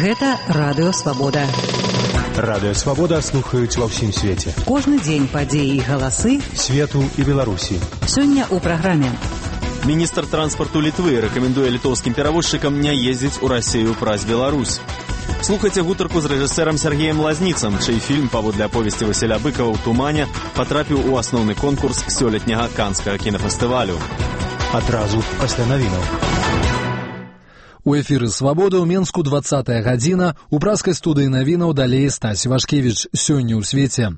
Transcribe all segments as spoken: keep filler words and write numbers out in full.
Гэта Радыё Свабода. Радыё Свабода слухаюць ва ўсім свеце. Кожны дзень падзеі і галасы свету і Беларусі. Сёння ў праграме. Міністр транспарту Літвы рэкамендуе літоўскім перавозчыкам не ездзіць у Расію праз Беларусь. Слухайце гутарку з рэжысэрам Сергеем Лазніцам, чый фільм паводле аповесці Васіля Быкава ў тумане патрапіў у асноўны конкурс сёлетняга канскага кінафестывалю. Адразу пасля навінаў. У эфіры «Свабода» ў Менску двадцатая гадзіна, у праскай студыі навінаў далей Стась Вашкевіч. Сёння ў свеце.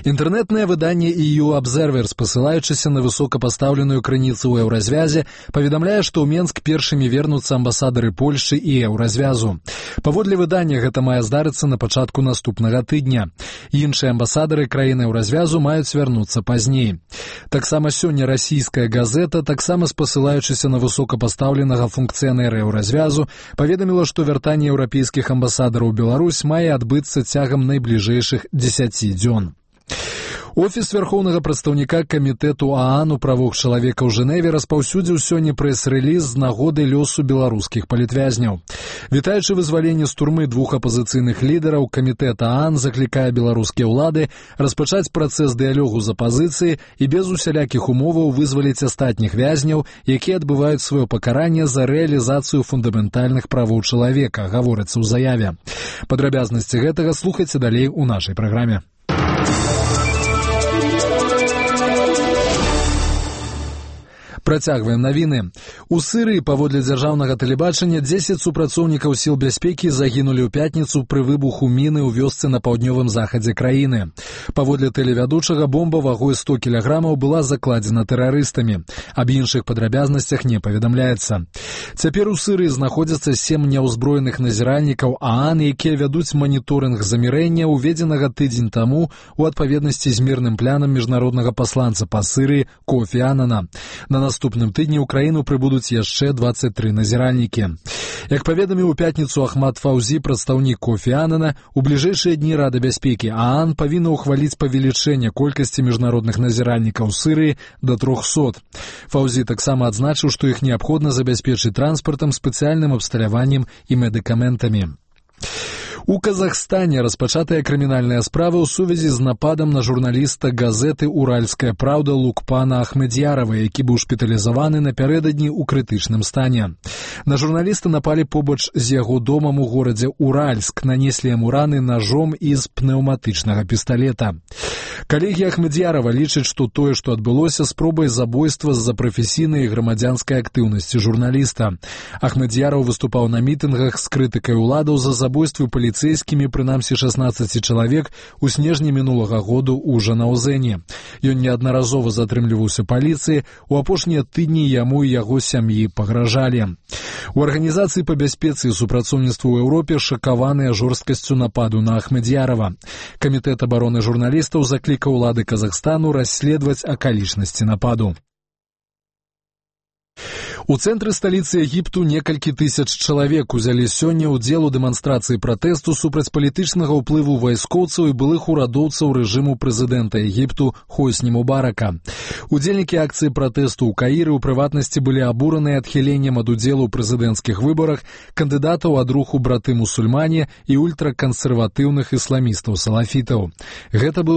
Інтэрнэтнае выданне і ю Observer, спасылаючыся на высокапастаўленую крыніцу ў еўразвязе, паведамляе, што ў Менск першымі вернуцца амбасадары Польшы і еўразвязу. Паводле выдання гэта мае здарыцца на пачатку наступнага тыдня. Іншыя амбасадары краіны еўразвязу маюць вярнуцца пазней. Таксама сёння расійская газета, таксама спасылаючыся на высокапастаўленага функцыянера еўразвязу, паведаміла, што вяртанне еўрапейскіх амбасадараў у Беларусь мае адбыцца цягам найбліжэйшых дзесяці дзён. Офіс вярхоўнага прадстаўніка камітэту ААН у правах чалавека ў Жэневе распаўсюдзіў сёння прэс-рэліз з нагоды лёсу беларускіх палітвязняў. Вітаючы вызваленне з турмы двух апазіцыйных лідараў, камітэт ААН заклікае беларускія ўлады распачаць працэс дыялогу з апазіцыяй і без усялякіх умоваў вызваліць астатніх вязняў, якія адбываюць сваё пакаранне за рэалізацыю фундаментальных правоў чалавека, гаворыцца ў заяве. Падрабязнасці гэтага слухайце далей у нашай праграме. Працягваем навіны. У Сырыі, паводле дзяржаўнага тэлебачання, дзесяць супрацоўнікаў сіл бяспекі загінулі ў пятніцу пры выбуху міны ў вёсцы на паўднёвым захадзе краіны. Паводле тэлевядучага, бомба вагой сто кілаграмаў была закладзена тэрарыстамі. Аб іншых падрабязнасцях не паведамляецца. Цяпер у Сырыі знаходзяцца сем няўзброеных назіральнікаў ААН, якія вядуць маніторынг замірэння, уведзенага тыдзень таму у адпаведнасці з мірным планам міжнароднага пасланца па Сырыі Кофі Аннана. На наступным тыдні ў краіну прыбудуць яшчэ дваццаць тры назіральнікі. Як паведаміў у пятніцу Ахмад Фаўзі, прадстаўнік Кофі Аннана, у бліжэйшыя дні Рада бяспекі ААН павінна ўхваліць павелічэнне колькасці міжнародных назіральнікаў Сырыі да трохсот. Фаўзі таксама адзначыў, што іх неабходна забяспечыць транспартам, спецыяльным абсталяваннем і медыкаментамі. У Казахстане распачатая крымінальная справа ў сувязі з нападам на журналіста газеты «Уральская правда» Лукпана Ахмедьярова, які быў шпіталізаваны напярэдадні ў крытычным стане. На журналіста напалі побач з яго домам у горадзе Уральск, нанеслі яму раны нажом і з пнеўматычнага пісталета. Калегі Ахмедьярова лічаць, што тое, што адбылося, спробай забойства з-за прафесійнай і грамадзянскай актыўнасці журналіста. Ахмедьяров выступаў на мітынгах з крытыкай уладаў за забойствы паліцэйскімі, прынамсі шаснаццаці чалавек, у снежні мінулага году ў Жанаўзэне. Ён неаднаразова затрымліваўся паліцыі, у апошнія тыдні яму і яго сям'і пагражалі. У арганізацыі па бяспецы і супрацоўніцтву ў Еўропе шакаваныя жорсткасцю нападу на Ахмедьярова. Камітэт абароны журналістаў заклікаў улады Казахстану расследаваць акалічнасці нападу. У цэнтры сталіцы Егіпту некалькі тысяч чалавек узялі сёння ўдзел у дэманстрацыі пратэсту супраць палітычнага ўплыву вайскоўцаў і былых урадоўцаў рэжыму прэзідэнта Егіпту Хосні Мубарака. Удзельнікі акцыі пратэсту ў Каіры ў прыватнасці былі абураныя адхіленнем ад удзелу ў прэзідэнцкіх выбарах кандыдатаў ад руху браты-мусульмане і ультракансерватыўных ісламістаў-салафітаў. Гэта быў